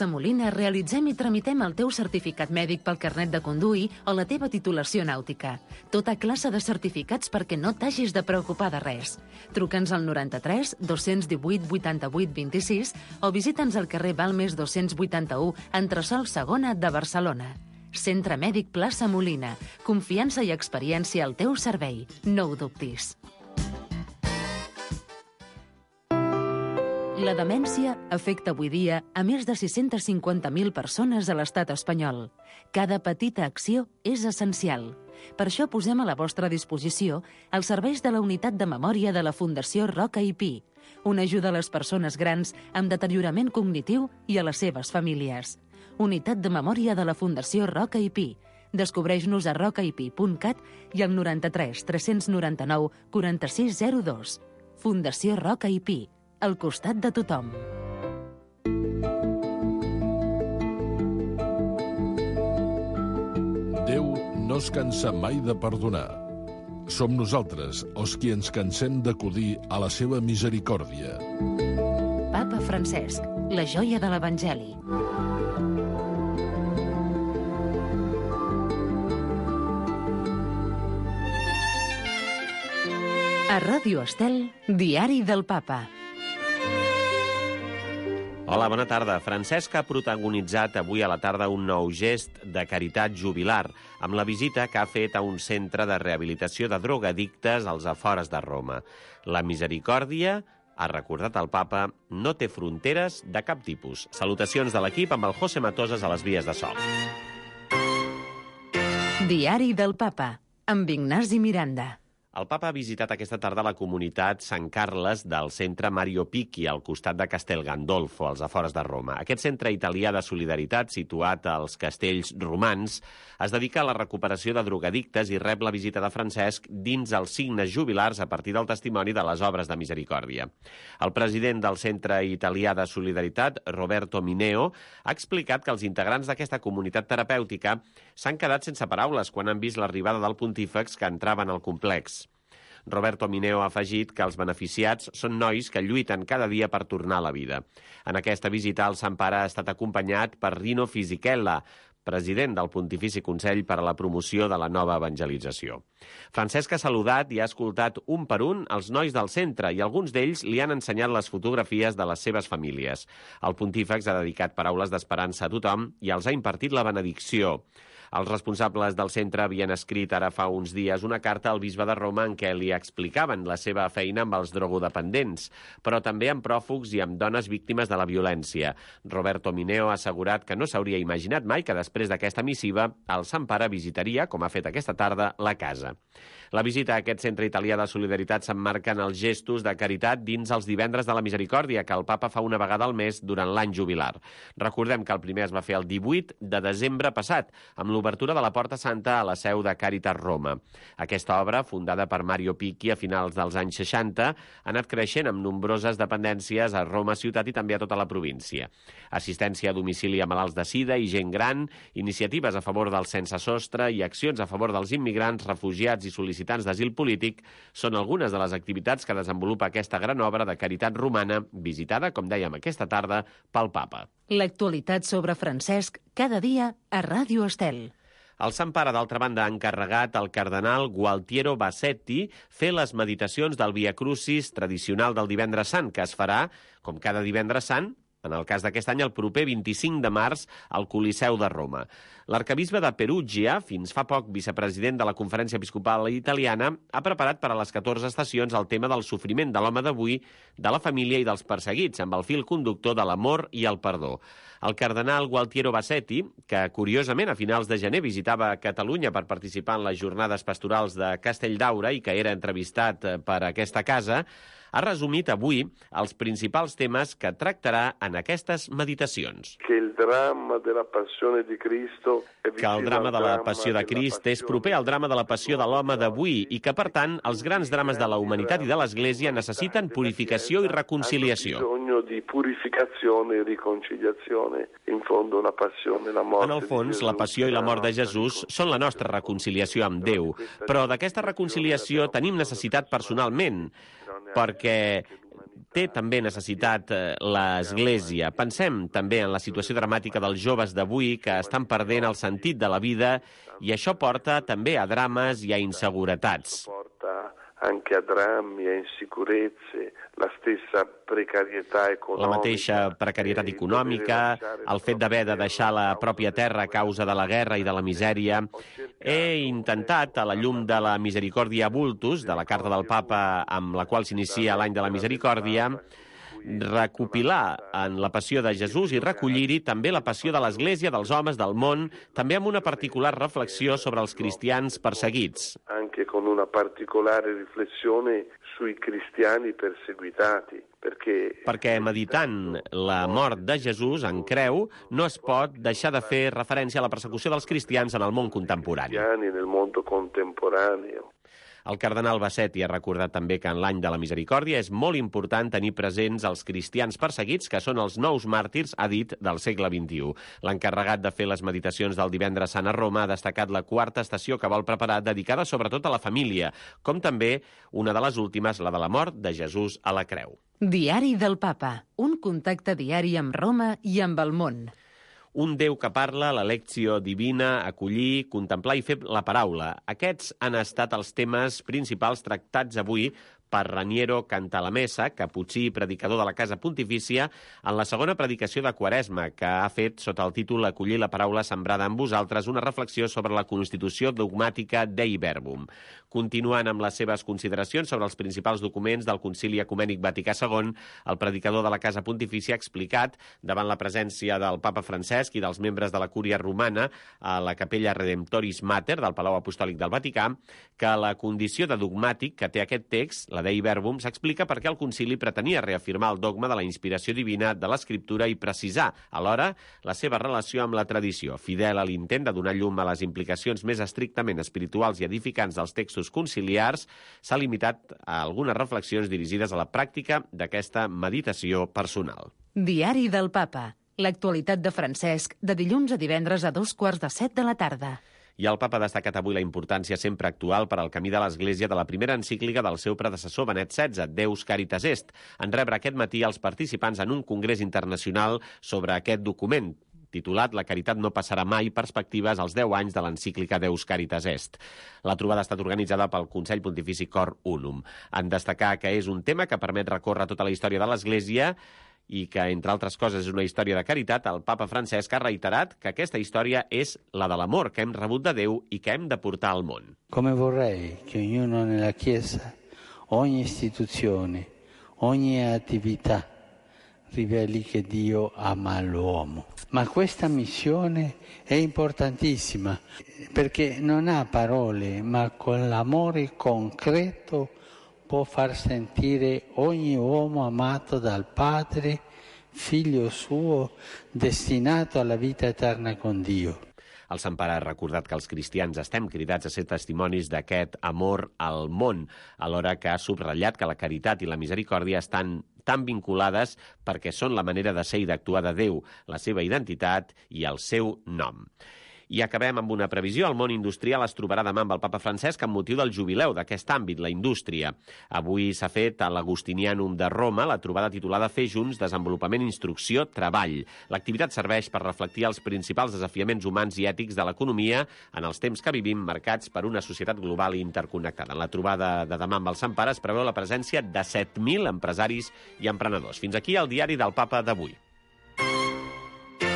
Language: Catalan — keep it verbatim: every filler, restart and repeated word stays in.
Plaça Molina realitzem i tramitem el teu certificat mèdic pel carnet de conduir o la teva titulació nàutica. Tota classe de certificats perquè no t'hagis de preocupar de res. Truca'ns al noranta-tres dos-cents divuit vuitanta-vuit vint-i-sis o visita'ns al carrer Balmes dos-cents vuitanta-u, entresòl segona de Barcelona. Centre Mèdic Plaça Molina. Confiança i experiència al teu servei. No ho dubtis. La demència afecta avui dia a més de sis-centes cinquanta mil persones a l'estat espanyol. Cada petita acció és essencial. Per això posem a la vostra disposició els serveis de la Unitat de Memòria de la Fundació Roca i Pi, una ajuda a les persones grans amb deteriorament cognitiu i a les seves famílies. Unitat de Memòria de la Fundació Roca i Pi. Descobreix-nos a roca i pi punt cat i al noranta-tres tres-cents noranta-nou quaranta-sis zero dos. Fundació Roca i Pi, al costat de tothom. Déu no es cansa mai de perdonar. Som nosaltres els qui ens cansem d'acudir a la seva misericòrdia. Papa Francesc, la joia de l'Evangeli. A Ràdio Estel, Diari del Papa. Hola, bona tarda. Francesc ha protagonitzat avui a la tarda un nou gest de caritat jubilar amb la visita que ha fet a un centre de rehabilitació de drogadictes als afores de Roma. La misericòrdia, ha recordat el papa, no té fronteres de cap tipus. Salutacions de l'equip amb el José Matosas a les vies de so. Diari del Papa, amb Ignasi Miranda. El papa ha visitat aquesta tarda la comunitat Sant Carles del centre Mario Picchi, al costat de Castel Gandolfo, als afores de Roma. Aquest centre italià de solidaritat, situat als castells romans, es dedica a la recuperació de drogadictes i rep la visita de Francesc dins els signes jubilars a partir del testimoni de les obres de misericòrdia. El president del centre italià de solidaritat, Roberto Mineo, ha explicat que els integrants d'aquesta comunitat terapèutica s'han quedat sense paraules quan han vist l'arribada del pontífex que entraven al complex. Roberto Mineo ha afegit que els beneficiats són nois que lluiten cada dia per tornar a la vida. En aquesta visita, el Sant Pare ha estat acompanyat per Rino Fisichella, president del Pontifici Consell per a la Promoció de la Nova Evangelització. Francesc ha saludat i ha escoltat un per un els nois del centre i alguns d'ells li han ensenyat les fotografies de les seves famílies. El pontífex ha dedicat paraules d'esperança a tothom i els ha impartit la benedicció. Els responsables del centre havien escrit ara fa uns dies una carta al bisbe de Roma en què li explicaven la seva feina amb els drogodependents, però també amb pròfugs i amb dones víctimes de la violència. Roberto Mineo ha assegurat que no s'hauria imaginat mai que després d'aquesta missiva el Sant Pare visitaria, com ha fet aquesta tarda, la casa. La visita a aquest centre italià de solidaritat s'emmarca en els gestos de caritat dins els divendres de la misericòrdia que el papa fa una vegada al mes durant l'any jubilar. Recordem que el primer es va fer el divuit de desembre passat, amb l'obertura de la Porta Santa a la seu de Càritas Roma. Aquesta obra, fundada per Mario Picchi a finals dels anys seixanta, ha anat creixent amb nombroses dependències a Roma ciutat i també a tota la província. Assistència a domicili a malalts de sida i gent gran, iniciatives a favor del sense sostre i accions a favor dels immigrants, refugiats i sol·licitants d'asil polític són algunes de les activitats que desenvolupa aquesta gran obra de caritat romana, visitada, com dèiem aquesta tarda, pel papa. L'actualitat sobre Francesc cada dia a Ràdio Estel. El Sant Pare, d'altra banda, ha encarregat al cardenal Gualtiero Bassetti fer les meditacions del Via Crucis tradicional del Divendres Sant, que es farà, com cada Divendres Sant, en el cas d'aquest any, el proper vint-i-cinc de març, al Coliseu de Roma. L'arcabisbe de Perugia, fins fa poc vicepresident de la Conferència Episcopal Italiana, ha preparat per a les catorze estacions el tema del sofriment de l'home d'avui, de la família i dels perseguits, amb el fil conductor de l'amor i el perdó. El cardenal Gualtiero Bassetti, que curiosament a finals de gener visitava Catalunya per participar en les jornades pastorals de Castelldaura i que era entrevistat per aquesta casa, ha resumit avui els principals temes que tractarà en aquestes meditacions. Que el drama de la passió de Cristo que el drama de la passió de Crist és proper al drama de la passió de l'home d'avui i que, per tant, els grans drames de la humanitat i de l'Església necessiten purificació i reconciliació. Di purificazione e riconciliazione. In fondo la passione e la morte. En el fons, la passió i la mort de Jesús són la nostra reconciliació amb Déu, però d'aquesta reconciliació tenim necessitat personalment, perquè té també necessitat l'Església. Pensem també en la situació dramàtica dels joves d'avui que estan perdent el sentit de la vida i això porta també a drames i a inseguretats. Porta anche a drammi, a insicurezze, la stessa precarietà econòmica. La mateixa precarietat econòmica, el fet d'haver de deixar la pròpia terra a causa de la guerra i de la misèria. He intentat, a la llum de la Misericòrdia Vultus, de la carta del Papa amb la qual s'inicia l'any de la Misericòrdia, recopilar en la passió de Jesús i recollir-hi també la passió de l'Església, dels homes, del món, també amb una particular reflexió sobre els cristians perseguits. Anche con una particolare riflessione sui cristiani perseguitati. Perché... perquè meditant la mort de Jesús en creu no es pot deixar de fer referència a la persecució dels cristians en el món contemporani. Nel mondo contemporaneo. El cardenal Bassetti ha recordat també que en l'any de la Misericòrdia és molt important tenir presents els cristians perseguits, que són els nous màrtirs, ha dit, del segle vint-i-u. L'encarregat de fer les meditacions del divendres sant a Roma ha destacat la quarta estació que vol preparar, dedicada sobretot a la família, com també una de les últimes, la de la mort de Jesús a la creu. Diari del Papa, un contacte diari amb Roma i amb el món. Un Déu que parla, la lecció divina, acollir, contemplar i fer la paraula. Aquests han estat els temes principals tractats avui per Raniero Cantalamessa, caputxí i predicador de la Casa Pontifícia, en la segona predicació de Quaresma, que ha fet sota el títol Acollir la paraula sembrada en vosaltres, una reflexió sobre la constitució dogmàtica Dei Verbum. Continuant amb les seves consideracions sobre els principals documents del Concili Ecumènic Vaticà segon, el predicador de la Casa Pontifícia ha explicat, davant la presència del Papa Francesc i dels membres de la Cúria Romana a la Capella Redemptoris Mater del Palau Apostòlic del Vaticà, que la condició de dogmàtic que té aquest text, la Dei Verbum, s'explica perquè el concili pretenia reafirmar el dogma de la inspiració divina de l'Escriptura i precisar, alhora, la seva relació amb la tradició, fidel a l'intent de donar llum a les implicacions més estrictament espirituals i edificants dels textos conciliars, s'ha limitat a algunes reflexions dirigides a la pràctica d'aquesta meditació personal. Diari del Papa. L'actualitat de Francesc, de dilluns a divendres a dos quarts de set de la tarda. I el Papa ha destacat avui la importància sempre actual per al camí de l'Església de la primera encíclica del seu predecessor Benet setze, Deus Caritas Est, en rebre aquest matí els participants en un congrés internacional sobre aquest document, titulat La caritat no passarà mai, perspectives als deu anys de l'encíclica Deus Caritas Est. La trobada ha estat organitzada pel Consell Pontifici Cor Unum. En destacar que és un tema que permet recórrer tota la història de l'Església i que, entre altres coses, és una història de caritat, el Papa Francesc ha reiterat que aquesta història és la de l'amor que hem rebut de Déu i que hem de portar al món. Come vorrei che ognuno nella Chiesa, ogni istituzione, ogni attività riveli che Dio ama l'uomo. Ma questa missione è importantissima perché non ha parole, ma con l'amore concreto può far sentire ogni uomo amato dal Padre, figlio suo, destinato alla vita eterna con Dio. El Sant Pare ha recordat que els cristians estem cridats a ser testimonis d'aquest amor al món, alhora que ha subratllat que la caritat i la misericòrdia estan tan vinculades perquè són la manera de ser i d'actuar de Déu, la seva identitat i el seu nom. I acabem amb una previsió. El món industrial es trobarà demà amb el Papa Francesc amb motiu del jubileu d'aquest àmbit, la indústria. Avui s'ha fet a l'Agustinianum de Roma la trobada titulada Fer junts, desenvolupament, instrucció, treball. L'activitat serveix per reflectir els principals desafiaments humans i ètics de l'economia en els temps que vivim, marcats per una societat global i interconnectada. En la trobada de demà amb el Sant Pare es preveu la presència de set mil empresaris i emprenedors. Fins aquí el diari del Papa d'avui.